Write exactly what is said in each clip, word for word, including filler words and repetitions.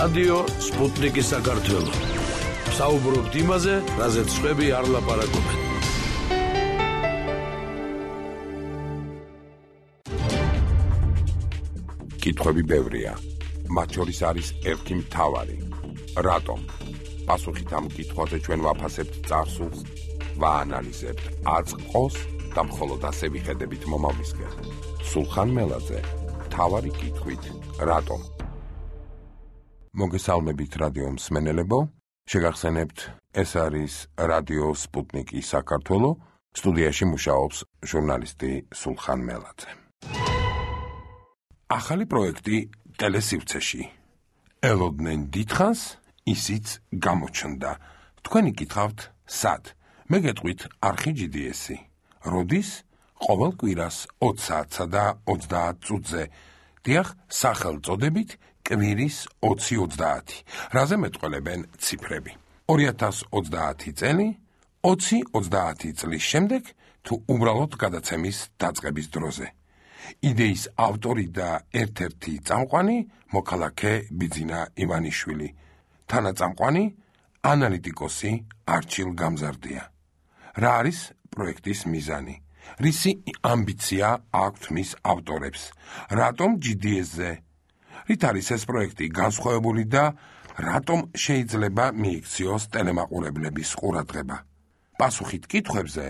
რადიო სპუტნიკი საქართველო. საუბრობთ იმაზე, რაზეც სხვები არ ლაპარაკობენ. კითხვები ბევრია. მათ შორის არის ერთი მთავარი. რატომ? პასუხით ამ კითხვაზე ჩვენ ვაფასებთ წარსულს, ვაანალიზებთ აწყოს და მხოლოდ ასე ვიხედებით მომავლისკენ. სულხან მელაძე, მთავარი კითხვით, რატომ? მოგესალმებით რადიო მსმენელებო, შეგახსენებთ, ეს არის რადიო სპუტნიკი საქართველო, სტუდიაში მუშაობს ჟურნალისტი სულხან მელაძე. ახალი პროექტი ტელესივრცეში. ელოდნენ დიდხანს, ისიც გამოჩნდა. თქვენი გითხავთ, სად? მე გეტყვით არხი ჯი დი ესი. როდის? ყოველ კვირას ოცი საათსა და ოცდაათ წუთზე. დიახ, სახელწოდებით კვირის ოცი ოცდაათი. რაზე მეტყველებენ ციფრები. ორი ათას ოცდაათი წელი, ოცი ოცდაათი წლის შემდეგ, თუ უბრალოდ გადაცემის დაწყების დროზე. იდეის ავტორი და ერთ-ერთი წამყვანი მოქალაქე ბიძინა ივანიშვილი. თანაწამყვანი ანალიტიკოსი არჩილ გამზარდია. რა არის პროექტის მიზანი? რისი ამბიცია აქვთ მის ავტორებს? რატომ ჯი დი ეს-ზე? რით არის ეს პროექტი განსხვავებული და რატომ შეიძლება მიიქციოს ტელემაყურებლების ყურადღება? პასუხით კითხვებზე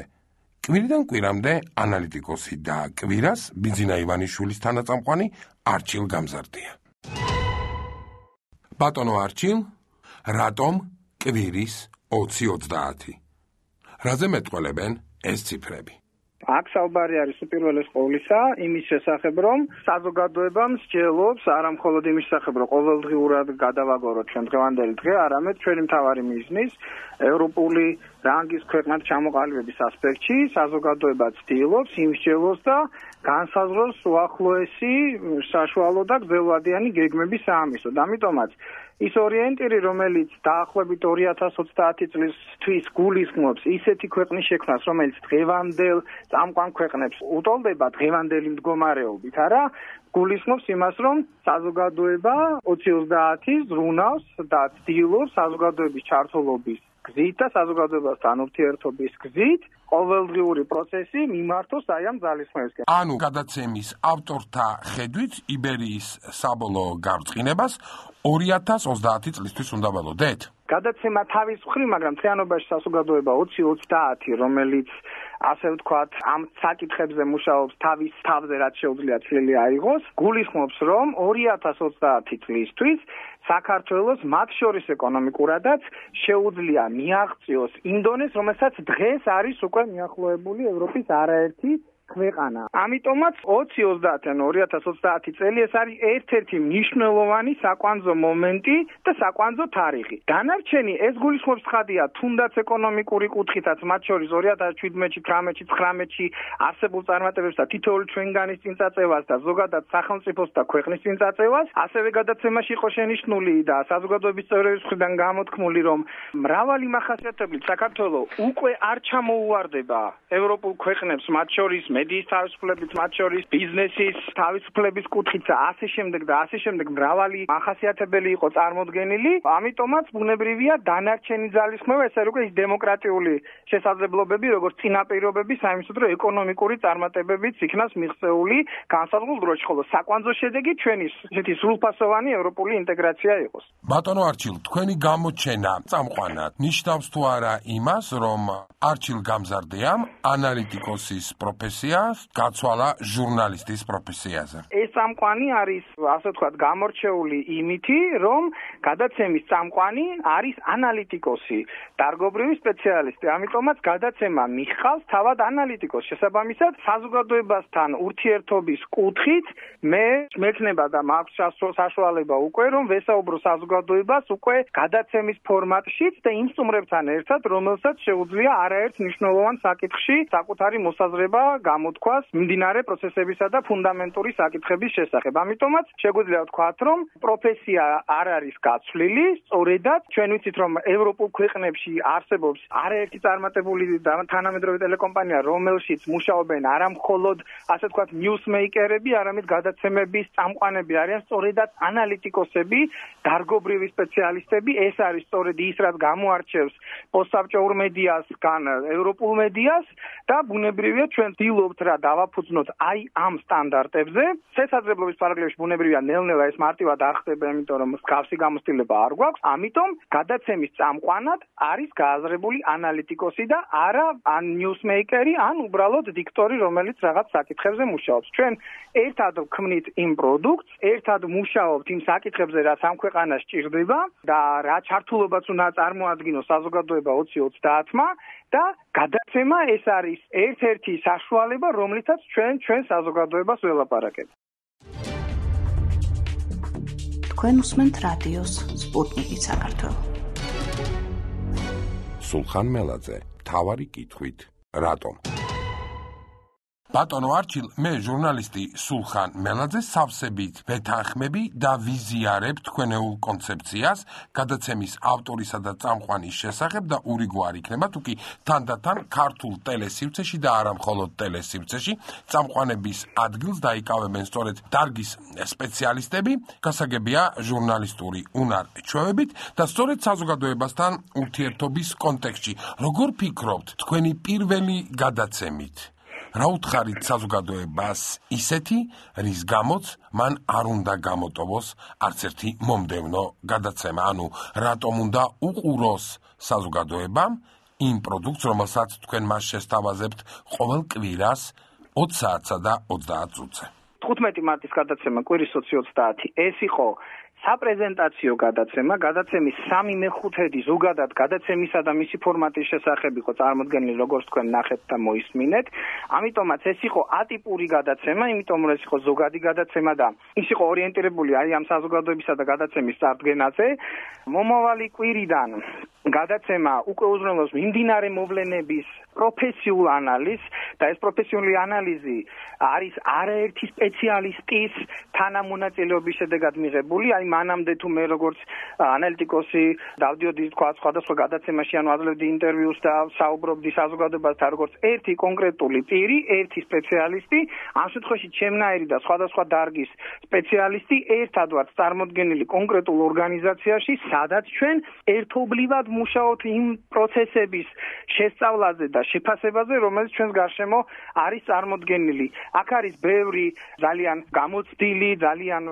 კვირიდან კვირამდე ანალიტიკოსი და კვირას ბიძინა ივანიშვილის თანაწამყვანი არჩილ გამზარდია. ბატონო არჩილ, რატომ კვირის ოცი ოცდაათი? რაზე მეტყველებენ ეს ციფრები? აქ საუბარი არის უპირველეს ყოვლისა იმის შესახებ, რომ საზოგადოებამ სჯელობს არა მხოლოდ იმის შესახებ, რომ ყოველდღიურად გადავაგოროთ ჩვენ დღევანდელი დღე, არამედ ჩვენი მთავარი მიზნის ევროპული რანგის ქვეყნად ჩამოყალიბების ასპექტში საზოგადოება ცდილობს იმ სჯელოს და განსაზღვროს უახლოესი საშუალო და გრძელვადიანი გეგმების საამისოდ. ამიტომაც ის ორიენტირი, რომელიც დაახლოებით ორი ათას ოცდაათი წლისთვის გულისხმობს ისეთი ქვეყნის შექმნას, რომელიც დღევანდელ წამყვან ქვეყნებს უტოლდება დღევანდელი მდგომარეობით, არა, გულისხმობს იმას, რომ საზოგადოება ოცი ოცდაათი ზრუნავს და ცდილობს საზოგადოების ჩართულობის გზით და საზოგადოებასთან ურთიერთობის გზით ყოველდღიური პროცესი მიმართოს აი ამ ძალისხმევისკენ. ანუ გადაცემის ავტორთა ხედვით იბერიის საბოლოო გარწყინებას ორი ათას ოცდაათი წლისთვის უნდა ველოდეთ? გადაცემა თავის მხრივ, მაგრამ თეანობაში საზოგადოება ოცი ოცდაათი, რომელიც ასე ვთქვათ, ამ საკითხებზე მუშაობს თავის თავზე, რაც შეუძლია ცვლილი აიღოს, გულისხმობს, რომ ორი ათას ოცდაათი წლისთვის საქართველოს მათ შორის ეკონომიკურადაც შეუძლია მიაღწიოს იმ დონეს, რომელსაც დღეს არის უკვე მიახლოებული ევროპის არაერთი ქვეყანა. ამიტომაც ოცი ოცდაათი ან ორი ათას ოცდაათი წელი ეს არის ერთ-ერთი მნიშვნელოვანი საკვანძო მომენტი და საკვანძო თარიღი. დანარჩენი ეს გულისხმობს ხადია, თუნდაც ეკონომიკური კუთხითაც, მათ შორის ორი ათას შვიდმეტში, თვრამეტში, ცხრამეტში არსებულ წარმატებებს და თითოეული ჩვენგანის წინწაწევას და ზოგადად სახელმწიფოს და ქვეყნის წინწაწევას, ასევე გადაცემაში იყო შენიშნული და საზოგადოების წევრების მხრიდან გამოთქმული, რომ მრავალი მახასიათებლით საქართველოს უკვე არ ჩამოუვარდება ევროპულ ქვეყნებს, მათ შორის მედიის თავისუფლებით, მათ შორის ბიზნესის თავისუფლების კუთხით და ასე შემდეგ და ასე შემდეგ მრავალი მახასიათებელი იყო წარმოდგენილი. ამიტომაც ბუნებრივია დანარჩენი ძალისხმევა, ეს არის უკვე ის დემოკრატიული შესაძლებლობები, როგორც წინაპირობები საიმისოდ, რომ ეკონომიკური წარმატებებიც იქნას მიღწეული განსაზღვრულ დროში, ხოლო საკვანძო შედეგი ჩვენი ესეთი სრულფასოვანი ევროპული ინტეგრაცია იყოს. ბატონო არჩილ, თქვენი გამოჩენა წამყვანად ნიშნავს თუ არა იმას, რომ არჩილ გამზარდიამ ანალიტიკოსის პროფესია გაცვალა ჟურნალისტის პროფესიაზე. ეს წამყვანი არის, ასე ვთქვათ, გამორჩეული იმითი, რომ გადაცემის წამყვანი არის ანალიტიკოსი, დარგობრივი სპეციალისტი. ამიტომაც გადაცემა მიჰყავს თავად ანალიტიკოს. შესაბამისად, საზოგადოებასთან ურთიერთობის კუთხით მე მექნება და მაქვს საშუალება უკვე, რომ ვესაუბრო საზოგადოებას უკვე გადაცემის ფორმატშიც და იმ სტუმრებთან ერთად, რომელსაც შეუძლია არაერთ მნიშვნელოვან საკითხში საკუთარი მოსაზრება გამოთქვას მიმდინარე პროცესებისა და ფუნდამენტური საკითხების შესახებ. ამიტომაც შეგვიძლია ვთქვათ, რომ პროფესია არ არის გაცვლილი, სწორედაც ჩვენ ვიცით, რომ ევროპულ ქვეყნებში არსებობს არაერთი წარმატებული თანამედროვე ტელეკომპანია, რომელშიც მუშაობენ არა მხოლოდ ასე ვთქვათ ნიუსმეიკერები, არამედ გადაცემების წამყვანები არიან სწორედაც ანალიტიკოსები, დარგობრივი სპეციალისტები. ეს არის სწორედ ის, რაც გამოარჩევს პოსტსაბჭოურ მედიასგან ევროპულ მედიას და ბუნებრივია ჩვენ ვცდილობთ რა დავაფუძნოთ აი ამ სტანდარტებზე. შესაძლებლობის პარალელში ბუნებრივია ნელ-ნელა ეს მარტივად არ ხდება, იმიტომ რომ მსგავსი გამოცდილება არ გვაქვს. ამიტომ გადაცემის წამყვანად არის გააზრებული ანალიტიკოსი და არა ან ნიუსმეიკერი, ან უბრალოდ დიქტორი, რომელიც რაღაც საკითხებზე მუშაობს. ჩვენ ერთად ვქმნით იმ პროდუქტს, ერთად მუშაობთ იმ საკითხებზე, რაც ამ ქვეყანას ჭირდება და რა ჩართულობაც უნდა წარმოადგინოს საზოგადოება ოცი ოცდაათმა და გადაცემა ეს არის ერთ-ერთი საშუალება, რომლითაც ჩვენ ჩვენ საზოგადოებას ველაპარაკებთ. თქვენ უსმენთ რადიოს სპუტნიკი საქართველო. სულხან მელაძე, მთავარი კითხვით, რატომ? ბატონო არჩილ, მე ჟურნალისტი სულხან მელაძე სავსებით ვეთანხმები და ვიზიარებ თქვენეულ კონცეფციას გადაცემის ავტორისა და წამყვანის შესახებ და ურიგوار იქნება თუკი თანდათან ქართულ ტელესივრცეში და არა მხოლოდ ტელესივრცეში წამყვანების ადგილს დაიკავებენ სწორედ დარგის სპეციალისტები, გასაგებია ჟურნალისტური უნარ-ჩვევებით და სწორედ საზოგადოებასთან ურთიერთობის კონტექსტში. როგორ ფიქრობთ თქვენი პირველი გადაცემით? რა უთხარით საზოგადოებას ისეთი, რის გამოც მან არ უნდა გამოტოვოს არც ერთი მომდევნო გადაცემა, ანუ რატომ უნდა უყუროს საზოგადოებამ იმ პროდუქტს, რომელსაც თქვენ მას შესთავაზებთ ყოველ კვირას ოცი საათსა და ოცდაათ წუთზე. თხუთმეტი მარტის გადაცემა კვირის ოცი ოცდაათი ეს იყო საპრეზენტაციო გადაცემა, გადაცემის სამი მეხუთედი ზოგადად გადაცემისა და მისი ფორმატის შესახებ იყო წარმოდგენილი, როგორც თქვენ ნახეთ და მოისმინეთ. ამიტომაც ეს იყო ატიპური გადაცემა, იმიტომ რომ ეს იყო ზოგადი გადაცემა და ის იყო ორიენტირებული აი ამ საზოგადოებისა და გადაცემის წარდგენაზე. მომავალი კვირიდან გადაცემა უკვე უზრუნველყოფს მიმდინარე მოვლენების პროფესიულ ანალიზს და ეს პროფესიული ანალიზი არის არაერთი სპეციალისტის თანამონაწილეობის შედეგად მიღებული. აი მანამდე თუ მე როგორც ანალიტიკოსი დავდიოდი თქვა სხვადასხვა გადაცემაში, ანუ აძლევდი ინტერვიუს და საუბრობდი საზოგადოებასთან როგორც ერთი კონკრეტული პირი, ერთი სპეციალისტი, ამ შემთხვევაში ჩემნაირი და სხვადასხვა დარგის სპეციალისტი ერთად ვართ წარმოდგენილი კონკრეტულ ორგანიზაციაში, სადაც ჩვენ ერთობლივად მუშაობთ იმ პროცესების შესწავლაზე და შეფასებაზე, რომელიც ჩვენს გარშემო არის წარმოდგენილი. აქ არის ბევრი ძალიან გამოცდილი, ძალიან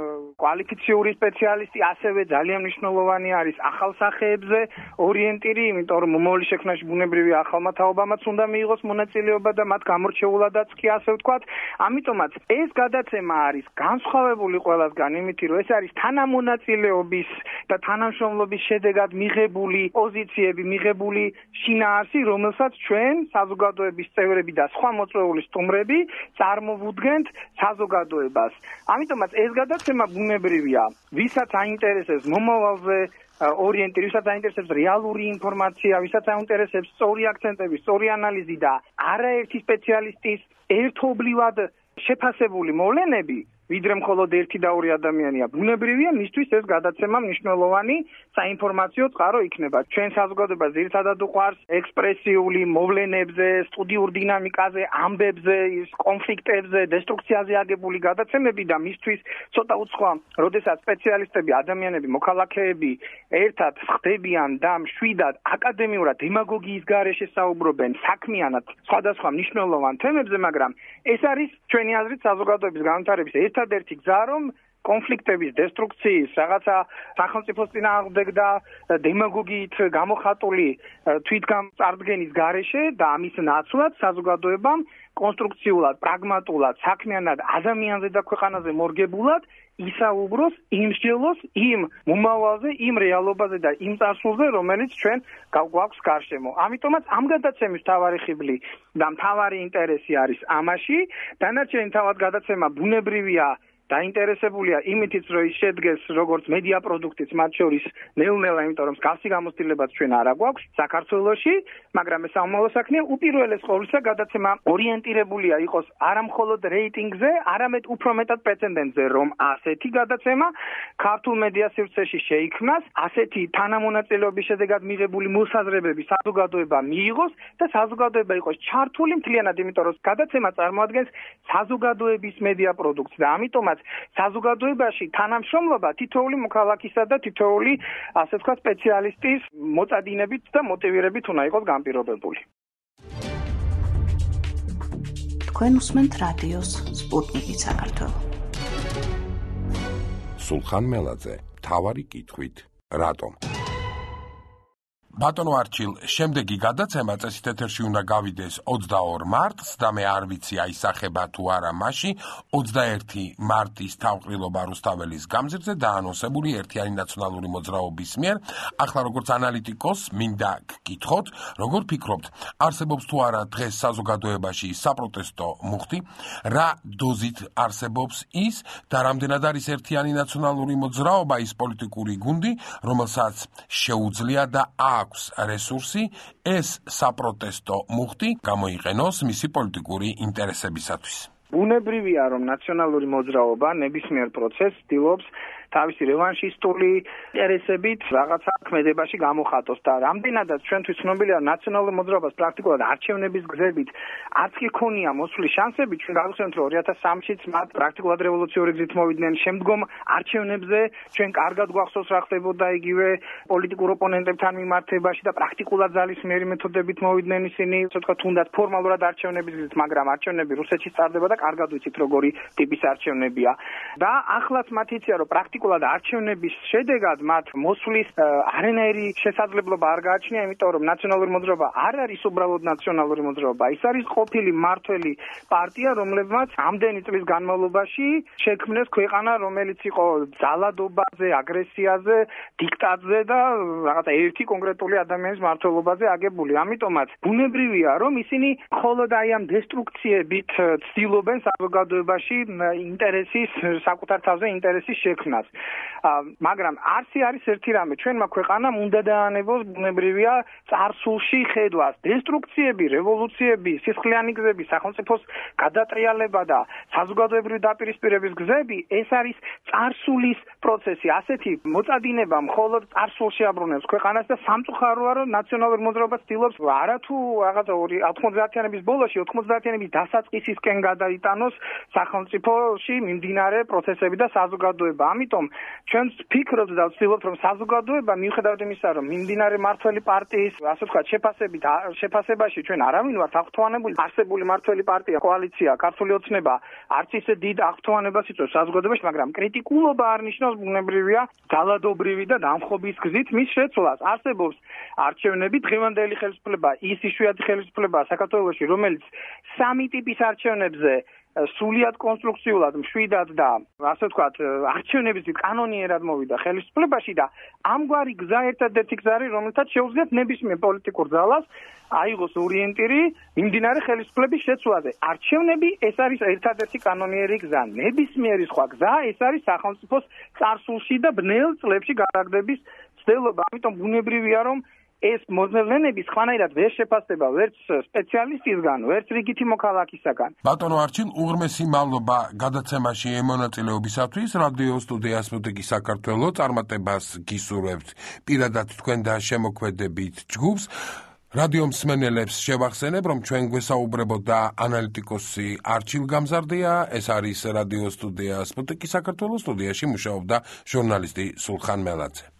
კვალიფიციური სპეციალისტი, ასევე ძალიან მნიშვნელოვანი არის ახალ სახეებზე ორიენტირი, იმიტომ რომ მომავალი შექმნაში ბუნებრივი ახალმა თაობამაც უნდა მიიღოს მონაწილეობა და მათ გამორჩეულადაც კი ასე ვთქვათ. ამიტომაც ეს გადაცემა არის განსხვავებული ყველასგან იმით, რომ ეს არის თანამონაწილეობის და თანამშრომლობის შედეგად მიღებული პოზიციები, მიღებული შინაარსი, რომელსაც ჩვენ საზოგადოების წევრები და სხვა მოწვეული სტუმრები წარმოვუდგენთ საზოგადოებას. ამიტომაც ეს გადაცემა ბუნებრივია, ვისაც აინტერესებს მომავალზე ორიენტირი, ვისაც აინტერესებს რეალური ინფორმაცია, ვისაც აინტერესებს სწორი აქცენტები, სწორი ანალიზი და არაერთი სპეციალისტის ერთობლივად შეფასებული მოვლენები, ვიდრე მხოლოდ ერთი და ორი ადამიანია. ბუნებრივია, მისთვის ეს გადაცემა მნიშვნელოვანი საინფორმაციო წყარო იქნება. ჩვენ საზოგადოებას ძირითადად უყვარს ექსპრესიული მოვლენებზე, სტუდიურ დინამიკაზე, ამბებზე, კონფლიქტებზე, დესტრუქციაზე აგებული გადაცემები და მისთვის ცოტა უცხოა, როდესაც სპეციალისტები, ადამიანები, მოქალაქეები ერთად ხდებიან და მშვიდად აკადემიურად დემაგოგიის გარეშე საუბრობენ საქმიანად სხვადასხვა მნიშვნელოვან თემებზე, მაგრამ ეს არის ჩვენი აზრით საზოგადოების განვითარების ერთადერთი გზა, რომ კონფლიქტების, დესტრუქციის, რაღაცა სახელმწიფოს წინააღმდეგ და დემაგოგიით გამოხატული თვითგამწარდგენის გარეშე და ამის ნაცვლად საზოგადოებამ კონსტრუქციულად, პრაგმატულად, საქმიანად, ადამიანზე და ქვეყანაზე მორგებულად ისაუბროს, იმსჯელოს იმ მომავალზე, იმ რეალობაზე და იმ წარსულზე, რომელიც ჩვენ გვაქვს გარშემო. ამიტომაც ამ გადაცემის მთავარი ხიბლი და მთავარი ინტერესი არის ამაში. დანარჩენი თავად გადაცემა ბუნებრივია დაინტერესებულია იმითიც, რომ ის შედგეს როგორც მედია პროდუქტიც, მათ შორის ნელ-ნელა, იმიტომ რომ მსგავსი გამოცდილებაც ჩვენ არ აგვაქვს საქართველოში, მაგრამ ეს სამომავლო საქმეა. უპირველეს ყოვლისა გადაცემა ორიენტირებულია იყოს არა მხოლოდ რეიტინგზე, არამედ უფრო მეტად პრეცედენტზე, რომ ასეთი გადაცემა ქართულ მედია სივრცეში შეიქმნას, ასეთი თანამონაწილეობის შედეგად მიღებული მოსაზრებები საზოგადოება მიიღოს და საზოგადოება იყოს ჩართული მთლიანად, იმიტომ რომ გადაცემა წარმოადგენს საზოგადოების მედია პროდუქტს და ამიტომაც საზოგადოებაში თანამშრომლობა თითოეული მოქალაქისა და თითოეული, ასე ვთქვათ, სპეციალისტის მოწადინებით და მოტივირებით უნდა იყოს განპირობებული. თქვენ უსმენთ რადიოს სპუტნიკი საქართველო. სულხან მელაძე, მთავარი კითხვით, რატომ? ბატონო არჩილ, შემდეგი გადაცემა წესით ეთერში უნდა გავიდეს ოცდაორ მარტს და მე არ ვიცი აისახება თუ არა მასში ოცდაერთი მარტის თავყრილობა რუსთაველის გამზირზე დაანონსებული ერთიანი ნაციონალური მოძრაობის მიერ. ახლა როგორც ანალიტიკოს მინდა გკითხოთ, როგორ ფიქრობთ, არსებობს თუ არა დღეს საზოგადოებაში საპროტესტო მუხტი, რა დოზით არსებობს ის და რამდენად არის ერთიანი ნაციონალური მოძრაობა ის პოლიტიკური გუნდი, რომელსაც შეუძლია და აქვს რესურსი ეს საპროტესტო მუხტი გამოიყენოს მისი პოლიტიკური ინტერესებისათვის. ბუნებრივია, რომ ნაციონალური მოძრაობა ნებისმიერ პროცესს ცდილობს თავისი რევანშისტული ინტერესებით რაღაცა ქმედებაში გამოხატოს და რამდენადაც ჩვენთვის ცნობილია ნაციონალური მოძრაობას პრაქტიკულად არჩევნების გზებით არც კი ქონია მოსვლის შანსები, ჩვენ გავიხსენებთ, რომ ორი ათას სამშიც მათ პრაქტიკულად რევოლუციური გზით მოვიდნენ, შემდგომ არჩევნებზე ჩვენ კარგად გვახსოვს რა ხდებოდა იგივე პოლიტიკურ ოპონენტებთან მიმართებაში და პრაქტიკულად ძალისმიერი მეთოდებით მოვიდნენ ისინი, ასე ვთქვათ, თუნდაც ფორმალურად არჩევნების გზით, მაგრამ არჩევნები რუსეთში ტარდება და კარგად ვიცით როგორი ტიპის არჩევნებია და ახლაც მათ იციან, რომ პრაქტიკულად არჩევნების შედეგად მათ მოსვლის არანაირი შესაძლებლობა არ გააჩნია, იმიტომ რომ ნაციონალური მოძრაობა არ არის უბრალოდ ნაციონალური მოძრაობა, ის არის ყოფილი მმართველი პარტია, რომლებმაც ამდენი წლის განმავლობაში შექმნეს ქვეყანა, რომელიც იყო ძალადობაზე, აგრესიაზე, დიქტატზე და რაღაცა ერთი კონკრეტული ადამიანის მმართველობაზე აგებული. ამიტომაც ბუნებრივია, რომ ისინი მხოლოდ აი ამ დესტრუქციებით ცდილობენ საზოგადოებაში ინტერესის, საკუთარ თავზე ინტერესის შექმნას. მაგრამ არსი არის ერთი რამე, ჩვენმა ქვეყანამ უნდა დაანებოს ბუნებრივია წარსულში ხედვას. დესტრუქციები, რევოლუციები, სისხლიანი გზები, სახელმწიფოს გადატრიალება და საზოგადოებრივი დაპირისპირების გზები, ეს არის წარსულის პროცესი. ასეთი მოწადინება მხოლოდ წარსულში აბრუნებს ქვეყანას და სამწუხაროა, რომ ნაციონალური მოძრაობა ცდილობს არათუ რაღაცა ოთხმოცდაათიანების ბოლოში, ოთხმოცდაათიანების დასაწყისისკენ გადაიტანოს სახელმწიფოში მიმდინარე პროცესები და საზოგადოება. ამიტომ ჩვენ ვფიქრობთ და ვცდილობთ, რომ საზოგადოება მიუხედავად იმისა, რომ მიმდინარე მმართველი პარტიის, ასე ვთქვათ, შეფასებით შეფასებაში ჩვენ არავინ ვართ აღფრთოვანებული, არსებული მმართველი პარტია, კოალიცია, ქართული ოცნება არც ისე დიდ აღფრთოვანებას იწვევს საზოგადოებაში, მაგრამ კრიტიკულობა არ ნიშნავს ბუნებრივია ძალადობრივი და დამხობის გზით მის შეცვლას. არსებობს არჩევნები, დღევანდელი ხელისუფლება, ის იშვიათი ხელისუფლებაა საქართველოში, რომელიც სამი ტიპის არჩევნებზე სულიად კონსტრუქციულად, მშვიდად და ასე ვთქვათ, არჩევნების კანონიერად მოვიდა ხელისუფლებაში და ამგვარი გზა ერთადერთი გზა არის, რომელთაც შეუძლიათ ნებისმიერ პოლიტიკურ ძალას აიღოს ორიენტირი მიმდინარე ხელისუფლების შეცვლაზე. არჩევნები ეს არის ერთადერთი კანონიერი გზა. ნებისმიერი სხვა გზა ეს არის სახელმწიფოს წარსულში და ბნელ წლებში გადაგდების ცდელობა. ამიტომ ბუნებრივია, რომ ეს მოძნელნენები სხვანაირად ვერ შეფასდება ვერც სპეციალისტისგან, ვერც რიგითი მოქალაქისაგან. ბატონო არჩილ, უღრმესი მადლობა გადაცემაში მონაწილეობისათვის. რადიო სტუდია სპუტნიკი საქართველო წარმატებას გისურვებთ პირადად თქვენ და შემოქმედებით ჯგუფს. რადიო მსმენელებს შევახსენებ, რომ ჩვენ გვესაუბრებოდა და ანალიტიკოსი არჩილ გამზარდია, ეს არის რადიო სტუდია სპუტნიკი საქართველოს სტუდიაში მუშაობდა ჟურნალისტი სულხან მელაძე.